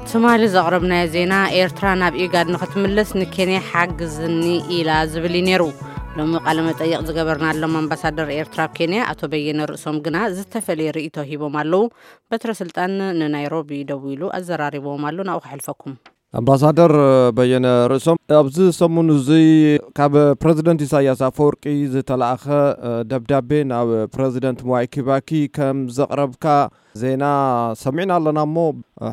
ትማሊ ዘቕረብናዮ ዜና፣ ኤርትራ ናብ ኢጋድ ንኽትምለስ ንኬንያ ሓግዝኒ ኢላ ዝብል እዩ ነይሩ። ሎሚ ቃለ መጠይቕ ዝገበርናሎም ኣምባሳደር ኤርትራ ኣብ ኬንያ ኣቶ በየነ ርእሶም ግና ዝተፈለየ ርእይቶ ሂቦም ኣለዉ። በትረ ስልጣን ንናይሮቢ ደዊሉ ኣዘራሪብዎም ኣሎ። ናብኡ ከሕልፈኩም። ኣምባሳደር በየነ ርእሶም፣ ኣብዚ ሰሙን እዚ ካብ ፕረዚደንት ኢሳያስ ኣፈወርቂ ዝተላእኸ ደብዳቤ ናብ ፕረዚደንት ምዋይ ኪባኪ ከም ዘቕረብካ ዜና ሰሚዕና ኣለና እሞ፣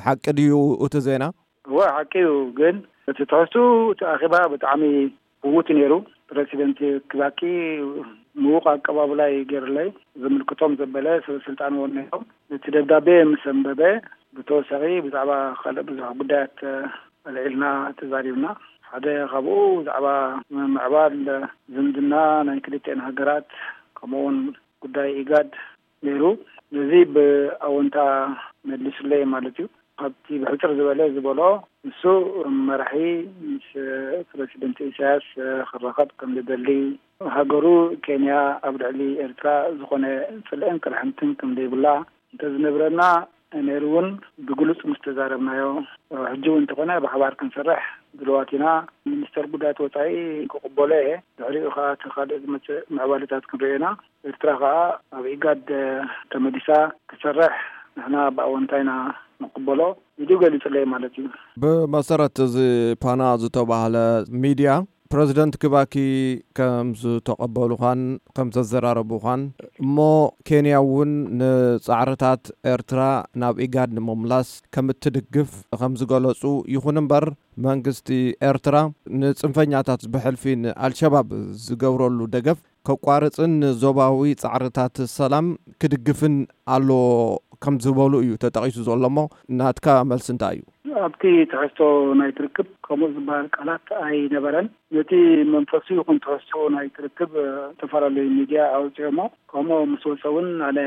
ሓቂ ድዩ እቲ ዜና? እወ፣ ሓቂ እዩ። ግን እቲ ትሕዝቱ፣ እቲ ኣኼባ ብጣዕሚ ዕዉት ነይሩ። ፕረሲደንት ኪባኪ ምዉቕ ኣቀባብላ እዩ ገይሩለይ። ዝምልክቶም ዘበለ ሰብ ስልጣን እውን ነይሮም። እቲ ደብዳቤ ምስ ኣንበበ፣ ብተወሳኺ ብዛዕባ ካልእ ብዙሕ ጉዳያት ኣልዒልና፣ ተዛሪብና። ሓደ ካብኡ ብዛዕባ ምምዕባል ዝምድና ናይ ክልቲኤን ሃገራት፣ ከምኡውን ጉዳይ ኢጋድ ነይሩ። ነዚ ብኣወንታ መሊሱለይ ማለት እዩ። ካብቲ ብሕጽር ዝበለ ዝበሎ፣ ንሱ መራሒ ምስ ፕረሲደንት ኢሳያስ ክራኸብ ከም ዝደሊ፣ ሃገሩ ኬንያ ኣብ ልዕሊ ኤርትራ ዝኾነ ጽልእን ቅርሕንትን ከም ዘይብላ እንተዝነብረና፣ ነይሩ እውን ብግሉጽ ምስ ተዛረብናዮ፣ ሕጂ እውን እንተኾነ ብሓባር ክንሰርሕ ድልዋት ኢና። ሚኒስተር ጉዳያት ወጻኢ ክቕበሎ እየ። ድሕሪኡ ኸኣ እቲ ካልእ ዝመጽእ ምዕባለታት ክንርእዮ ኢና። ኤርትራ ኸኣ ኣብ ኢጋድ ተመሊሳ ክትሰርሕ ንሕና ብኣወንታ ኢና ንቕበሎ ኢሉ ገሊጹለይ ማለት እዩ። ብመሰረት እዚ ፓና ዝተባህለ ሚድያ፣ ፕረዚደንት ኪባኪ ከም ዝተቐበሉኻን ከም ዘዘራረቡኻን፣ እሞ ኬንያ እውን ንጻዕርታት ኤርትራ ናብ ኢጋድ ንምምላስ ከም እትድግፍ ከም ዝገለጹ፣ ይኹን እምበር መንግስቲ ኤርትራ ንጽንፈኛታት ብሕልፊ ንኣልሸባብ ዝገብረሉ ደገፍ ከቋርጽን ንዞባዊ ጻዕርታት ሰላም ክድግፍን ኣለዎ ከም ዝበሉ እዩ ተጠቒሱ ዘሎ። እሞ ናትካ መልሲ እንታይ እዩ? ኣብቲ ትሕዝቶ ናይቲ ርክብ ከምኡ ዝበሃል ቃላት ኣይነበረን። ነቲ መንፈሱ ይኹን ትሕዝቶ ናይቲ ርክብ፣ እ፣ ዝተፈላለዩ ሚድያ ኣውፂኦሞ። ከምኡ ምስ ወፀ እውን ኣነ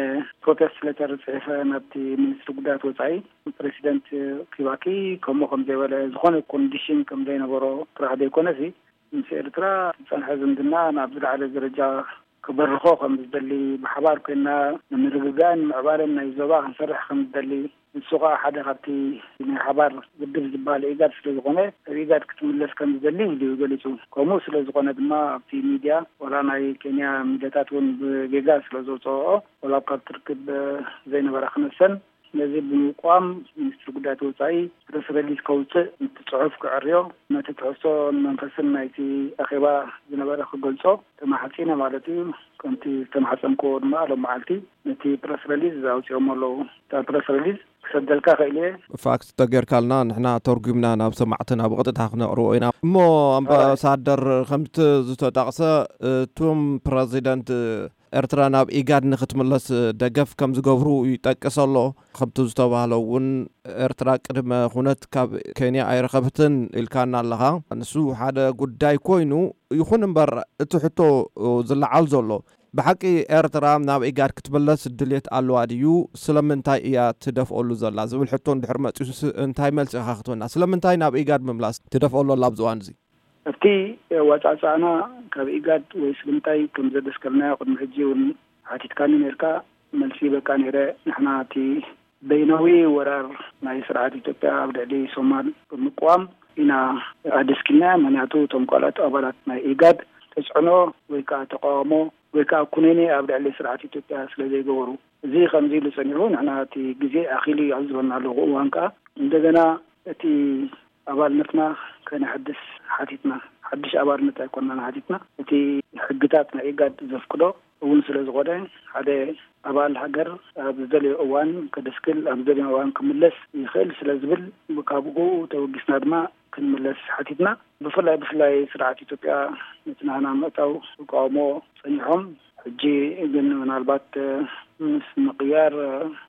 ፕሮቴስት ሌተር ፅሒፈ ናብቲ ሚኒስትሪ ጉዳያት ወፃኢ። ፕሬሲደንት ኪባኪ ከምኡ ከም ዘይበለ፣ ዝኾነ ኮንዲሽን ከም ዘይነበሮ ጥራሕ ዘይኮነሲ፣ ምስ ኤርትራ ዝጸንሐ ዝምድና ናብ ዝለዓለ ደረጃ ክበርኾ ከም ዝደሊ፣ ብሓባር ኮይና ንምርግጋእን ምዕባለን ናይ ዞባ ክንሰርሕ ከም ዝደሊ፣ ንሱ ኸኣ ሓደ ካብቲ ናይ ሓባር ውድብ ዝበሃል ኢጋድ ስለ ዝኾነ፣ ኣብ ኢጋድ ክትምለስ ከም ዝደሊ ኢሉ እዩ ገሊጹ። ከምኡ ስለ ዝኾነ ድማ ኣብቲ ሚድያ፣ ዋላ ናይ ኬንያ ሚድያታት እውን ብጌጋ ስለ ዘውጽኦኦ፣ ዋላ ኣብ ካብቲ ርክብ ዘይነበራ ክነሰን፣ ነዚ ብምቋም ሚኒስትሪ ጉዳያት ወጻኢ ፕረስ ሪሊዝ ከውጽእ፣ ነቲ ጽሑፍ ክዕርዮ፣ ነቲ ትሕዝቶን መንፈስን ናይቲ ኣኼባ ዝነበረ ክገልጾ ተማሕጺነ ማለት እዩ። ከምቲ ዝተማሕጸንክዎ ድማ ሎም መዓልቲ ነቲ ፕረስ ሪሊዝ ኣውጺኦሞ ኣለዉ። እታ ፕረስ ሪሊዝ ክሰደልካ ክእል እየ። ፋክስ ተጌርካልና ንሕና ተርጉምና ናብ ሰማዕትና ብቐጥታ ክነቕርቦ ኢና። እሞ ኣምባሳደር፣ ከምቲ ዝተጠቕሰ፣ እቱም ፕረዚደንት ኤርትራ ናብ ኢጋድ ንክትምለስ ደገፍ ከም ዝገብሩ ይጠቅስ ኣሎ። ከምቲ ዝተባህለ እውን ኤርትራ ቅድመ ኩነት ካብ ኬንያ ኣይረኸብትን ኢልካና ኣለኻ። ንሱ ሓደ ጉዳይ ኮይኑ፣ ይኹን እምበር እቲ ሕቶ ዝለዓል ዘሎ፣ ብሓቂ ኤርትራ ናብ ኢጋድ ክትምለስ ድልየት ኣለዋ ድዩ? ስለምንታይ እያ ትደፍኦሉ ዘላ ዝብል ሕቶ እንድሕር መጺኡስ እንታይ መልሲ ኢኻ ክትበና? ስለምንታይ ናብ ኢጋድ ምምላስ ትደፍኦ ኣሎ ኣላ ኣብዚ እዋን እዚ? ኣብቲ ኣዋጻጽኣና ካብ ኢጋድ ወይ ስለምንታይ ከም ዘደስከልናዮ ቅድሚ ሕጂ እውን ሓቲትካኒ ነርካ፣ መልሲ በቃ ነይረ። ንሕና እቲ በይናዊ ወራር ናይ ስርዓት ኢትዮጵያ ኣብ ልዕሊ ሶማል ብምቅዋም ኢና ኣደስኪልና። ምክንያቱ እቶም ካልኦት ኣባላት ናይ ኢጋድ ተጽዕኖ ወይ ከዓ ተቃውሞ ወይ ከዓ ኩነኔ ኣብ ልዕሊ ስርዓት ኢትዮጵያ ስለ ዘይገበሩ፣ እዚ ከምዚ ኢሉ ጸኒሑ፣ ንሕና እቲ ግዜ ኣኺሉ እዩ ኣብ ዝበልና ኣለኹ እዋን ከዓ እንደገና እቲ ኣባልነትና ከነሐድስ ሓቲትና። ሓድሽ ኣባልነት ኣይኮንናን ሓቲትና። እቲ ሕግታት ናይ ኢጋድ ዘፍቅዶ እውን ስለ ዝኾነ፣ ሓደ ኣባል ሃገር ኣብ ዝደለዮ እዋን ከደስክል፣ ኣብ ዝደለዮ እዋን ክምለስ ይኽእል ስለ ዝብል፣ ካብኡ ተበጊስና ድማ ክንምለስ ሓቲትና። ብፍላይ፣ ብፍላይ ስርዓት ኢትዮጵያ ነቲ ናህና ምእታው ተቃውሞ ጸኒሖም። ሕጂ ግን ምናልባት ምስ ምቕያር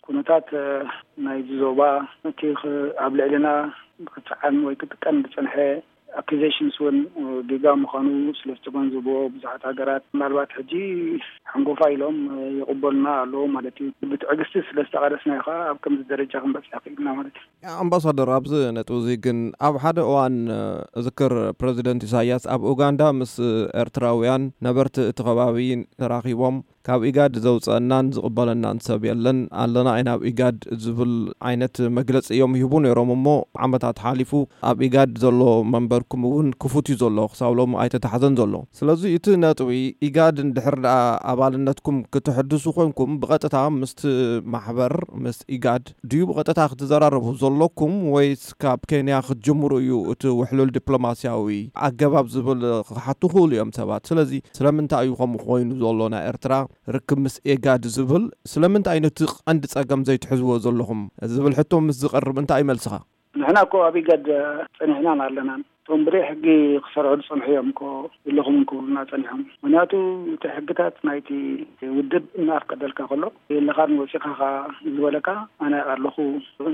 ኩነታት ናይዚ ዞባ፣ እቲ ክ-፣ ኣብ ልዕልና ክጸዓን ወይ ክጥቀም ዝጸንሐ ኣኪዜሽንስ እውን ጌጋ ምዃኑ ስለ ዝተገንዘብዎ ብዙሓት ሃገራት፣ ምናልባት ሕጂ ሓንጎፋ ኢሎም ይቕበሉና ኣለዉ ማለት እዩ። ብትዕግስቲ ስለ ዝተቓለስና እዩ ከዓ ኣብ ከምዚ ደረጃ ክንበፅሕ ክኢልና ማለት እዩ። ኣምባሳደር፣ ኣብዚ ነጥቢ እዚ ግን ኣብ ሓደ እዋን እዝክር፣ ፕረዚደንት ኢሳያስ ኣብ ኡጋንዳ ምስ ኤርትራውያን ነበርቲ እቲ ከባቢ ተራኺቦም፣ ካብ ኢጋድ ዘውፀአናን ዝቕበለናን ሰብ የለን፣ ኣለና ኢና ኣብ ኢጋድ ዝብል ዓይነት መግለፂ እዮም ይህቡ ነይሮም። እሞ ዓመታት ሓሊፉ፣ ኣብ ኢጋድ ዘሎ መንበርኩም እውን ክፉት እዩ ዘሎ፣ ክሳብ ሎሚ ኣይተታሕዘን ዘሎ። ስለዚ እቲ ነጥቢ፣ ኢጋድ እንድሕር ደኣ ኣባልነትኩም ክትሕድሱ ኮንኩም፣ ብቐጥታ ምስቲ ማሕበር፣ ምስ ኢጋድ ድዩ ብቐጥታ ክትዘራረቡ ዘለኩም፣ ወይስ ካብ ኬንያ ክትጅምሩ እዩ እቲ ውሕሉል ዲፕሎማስያዊ ኣገባብ ዝብል ክሓቱ ክእሉ እዮም ሰባት። ስለዚ ስለምንታይ እዩ ከምኡ ኮይኑ ዘሎ? ናይ ኤርትራ ርክብ ምስ ኤጋድ ዝብል ስለምንታይ ነቲ ቀንዲ ጸገም ዘይትሕዝዎ ዘለኹም ዝብል ሕቶ ምስ ዝቐርብ እንታይ እዩ መልስኻ? ንሕና እኮ ኣብ ኢጋድ ጸኒሕናን ኣለናን። እቶም ብደይ ሕጊ ክሰርሑ ዝጸንሑ እዮም እኮ ዘለኹም ክብሉና ጸኒሖም። ምኽንያቱ እቲ ሕግታት ናይቲ ውድብ እናኣፍቀደልካ ከሎ፣ የለኻን ወጺኻ ኸኣ ዝበለካ፣ ኣነ ኣለኹ፣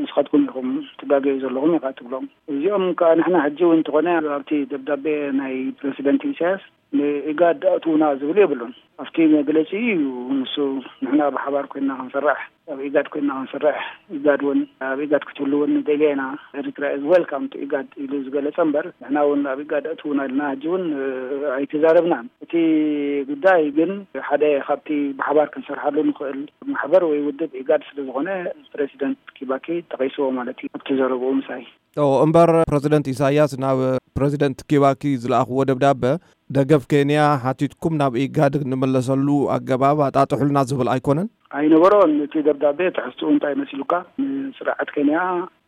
ንስኻትኩም ኢኹም ትጋገዩ ዘለኹም ኢኻ ትብሎም። እዚኦም ከኣ ንሕና ሕጂ እውን እንተኾነ ኣብቲ ደብዳቤ ናይ ፕረሲደንት ኢሳያስ ንኢጋድ ኣእትዉና ዝብል የብሉን። ኣብቲ መግለጺ እዩ ንሱ፣ ንሕና ብሓባር ኮይና ክንሰርሕ፣ ኣብ ኢጋድ ኮይና ክንሰርሕ፣ ኢጋድ እውን፣ ኣብ ኢጋድ ክትህሉ እውን ንደልያ ኢና፣ ኤርትራ is welcome to ኢጋድ ኢሉ ዝገለጸ እምበር፣ ንሕና እውን ኣብ ኢጋድ ኣእትዉና ኢልና ሕጂ እውን፣ እ፣ ኣይተዛረብናን። እቲ ጉዳይ ግን ሓደ ካብቲ ብሓባር ክንሰርሓሉ ንኽእል ማሕበር ወይ ውድብ ኢጋድ ስለ ዝኾነ፣ ፕረሲደንት ኪባኪ ጠቒስዎ ማለት እዩ ኣብቲ ዘረብኡ ምሳይ። ኦ፣ እምበር ፕረዚደንት ኢሳያስ ናብ ፕረዚደንት ኪባኪ ዝለኣኽዎ ደብዳበ፣ ደገፍ ኬንያ ሓቲትኩም ናብ ኢጋድ እንመለሰሉ ኣገባብ ኣጣጥሑልና ዝብል ኣይኮነን? ኣይነበሮን። እቲ ደብዳቤ ትሕዝትኡ እንታይ መሲሉካ? ንስርዓት ኬንያ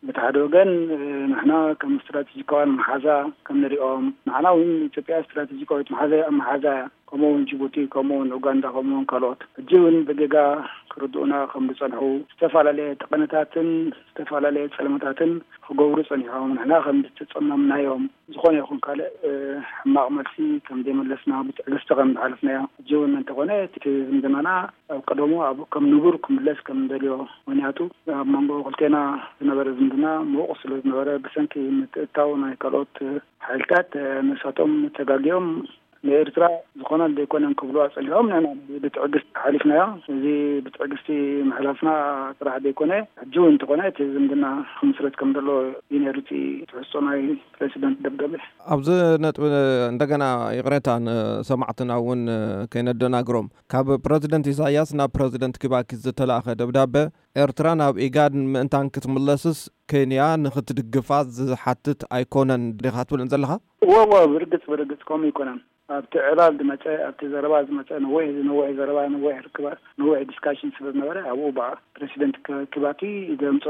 በቲ ሓደ ወገን፣ እ፣ ንሕና ከም ስትራቴጂካውያን መሓዛ ከም ንሪኦም፣ ንዓና እውን ኢትዮጵያ ስትራቴጂካዊት መሓዛ፣ መሓዛ እያ። ከምኡ እውን ጅቡቲ፣ ከምኡ እውን ኡጋንዳ፣ ከምኡ እውን ካልኦት ሕጂ እውን ብጌጋ ክርድኡና ከም ዝጸንሑ፣ ዝተፈላለየ ጠቐነታትን ዝተፈላለየ ጸለመታትን ክገብሩ ጸኒሖም፣ ንሕና ከም ዝተጸመምናዮም፣ ዝኾነ ይኹን ካልእ፣ እ፣ ሕማቕ መልሲ ከም ዘይመለስና፣ ብትዕግስቲ ከም ዝሓለፍናዮ፣ ሕጂ እውን እንተኾነ እቲ ዝምድናና ኣብ ቀደሙ ኣብ ከም ንቡር ክምለስ ከም እንደልዮ፣ ምኽንያቱ ኣብ መንጎ ክልቴና ዝነበረ ዝምድና ምዉቕ ስለ ዝነበረ፣ ብሰንኪ ምትእትታው ናይ ካልኦት ሓይልታት፣ እ፣ ንሳቶም ተጋግዮም ንኤርትራ ዝኾነ ዘይኮነን ክብሉ ኣጸኒሖም፣ ንሕና ብትዕግስቲ ሓሊፍናዮ። እዚ ብትዕግስቲ ምሕላፍና ጥራሕ ዘይኮነ፣ ሕጂ እውን እንተኾነ እቲ ዝምድና ክምስረት ከም ዘሎ እዩ ነይሩ እቲ ትሕዝቶ ናይ ፕረሲደንት ደብዳቤ። ኣብዚ ነጥቢ እንደገና ይቕሬታ ንሰማዕትና እውን ከይነደናግሮም። ካብ ፕረዚደንት ኢሳያስ ናብ ፕረዚደንት ኪባኪ ዝተላእኸ ደብዳበ፣ ኤርትራ ናብ ኢጋድ ምእንታን ክትምለስስ ኬንያ ንኽትድግፋ ዝሓትት ኣይኮነን ዲኻ ትብልን ዘለኻ? እወ፣ እወ፣ ብርግጽ፣ ብርግጽ ከምኡ ኣይኮነን። ኣብቲ ዕላል ዝመጸ፣ ኣብቲ ዘረባ ዝመጸ፣ ነዊሕ፣ ነዊሕ ዘረባ፣ ነዊሕ ርክባት፣ ነዊሕ ዲስካሽን ስለ ዝነበረ፣ ኣብኡ ብኣ ፕረሲደንት ክ-፣ ኪባኪ ዘምጾ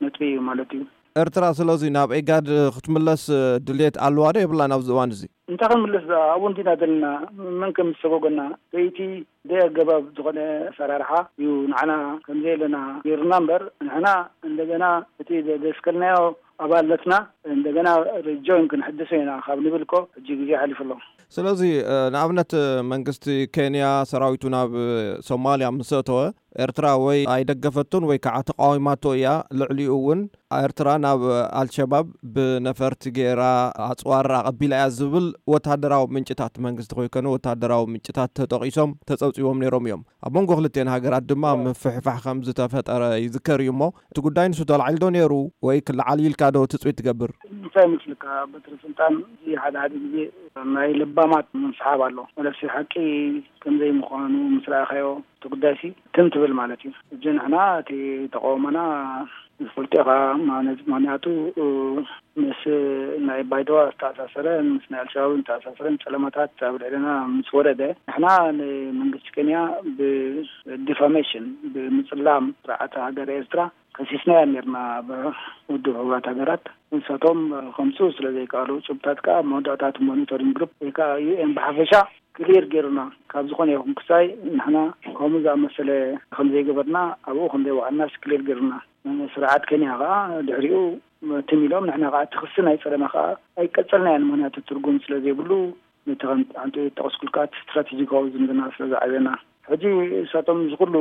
ነጥቢ እዩ ማለት እዩ። ኤርትራ ስለዚ ናብ ኢጋድ ክትምለስ ድልየት ኣለዋ ዶ የብላን ኣብዚ እዋን እዚ? እንታይ ክንምልስ ደኣ? ኣብኡ እንዲና ዘለና። መን ከም ዝሰጎገና? በይቲ ደይ ኣገባብ ዝኾነ ኣሰራርሓ እዩ ንዓና ከም ዘየለና ገይሩና እምበር፣ ንሕና እንደገና እቲ ዘ-፣ ዘስከልናዮ ኣባልነትና እንደገና ሪጆይን ክንሕድሶ ኢና ካብ ንብል እኮ ሕጂ ግዜ ሓሊፉ ኣሎ። ስለዚ፣ እ፣ ንኣብነት መንግስቲ ኬንያ ሰራዊቱ ናብ ሶማልያ ምስ ኣተወ፣ ኤርትራ ወይ ኣይደገፈቶን ወይ ከዓ ተቃዊማቶ እያ። ልዕሊኡ እውን ኤርትራ ናብ ኣልሸባብ ብነፈርቲ ገይራ ኣጽዋር ኣቐቢላ እያ ዝብል ወታደራዊ ምንጭታት፣ መንግስቲ ከይኮነ ወታደራዊ ምንጭታት ተጠቒሶም ተጸብጺቦም ነይሮም እዮም። ኣብ መንጎ ክልቴን ሃገራት ድማ ምፍሕፋሕ ከም ዝተፈጠረ ይዝከር እዩ። እሞ እቲ ጉዳይ ንሱ ተላዒሉ ዶ ነይሩ ወይ ክለዓል ኢልካ ዶ ትጽቢት ትገብር? እንታይ ይመስልካ በትሪ ስልጣን? እዚ ሓደ ሓደ ግዜ ናይ ለባማት ምንስሓብ ኣሎ። መለሲ ሓቂ ከም ዘይምዃኑ ምስ ረኣኻዮ እቲ ጉዳይሲ ትም ትብል ማለት እዩ። ሕጂ ንሕና እቲ ተቃውሞና ዝፈልጦ ኢኻ ማለት፣ ምኽንያቱ ምስ ናይ ባይደዋ ዝተኣሳሰረ፣ ምስ ናይ ኣልሸባብ ዝተኣሳሰረ ጸለመታት ኣብ ልዕለና ምስ ወረደ፣ ንሕና ንመንግስቲ ኬንያ ብዲፋሜሽን፣ ብምጽላም ስርዓት ሃገር ኤርትራ ከሲስናያ ነርና ኣብ ውድብ ሕቡራት ሃገራት። ንሳቶም ከምጽኡ ስለ ዘይከኣሉ፣ ጭብጥታት ከኣ ኣብ መወዳእታ እቲ ሞኒተሪንግ ግሩፕ ወይ ከኣ ዩ ኤን ብሓፈሻ ክሊር ገይሩና። ካብ ዝኾነ ይኹን ክሳይ ንሕና ከምኡ ዝኣመሰለ ከም ዘይገበርና፣ ኣብኡ ከም ዘይወዓልናስ ክሊር ገይሩና። ስርዓት ኬንያ ከኣ ድሕሪኡ ትም ኢሎም፣ ንሕና ከኣ እቲ ክሲ ናይ ጸለመ ከኣ ኣይቀጸልናዮን። ምኽንያቱ ትርጉም ስለ ዘይብሉ፣ ነቲ ከም ኣንተ ጠቐስኩልካ እቲ ስትራቴጂካዊ ዝምድና ስለ ዝዓብየና፣ ሕጂ ንሳቶም እዚ ኩሉ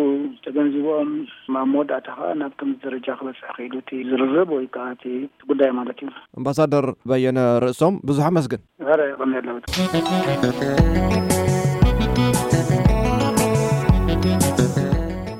ተገንዚቦም፣ ኣብ መወዳእታ ከኣ ናብ ከምዚ ደረጃ ክበጽሕ ክኢሉ እቲ ዝርርብ ወይ ከኣ እቲ ጉዳይ ማለት እዩ። ኣምባሳደር በየነ ርእሶም፣ ብዙሕ ኣመስግን። ኧረ፣ የቐንየለይ።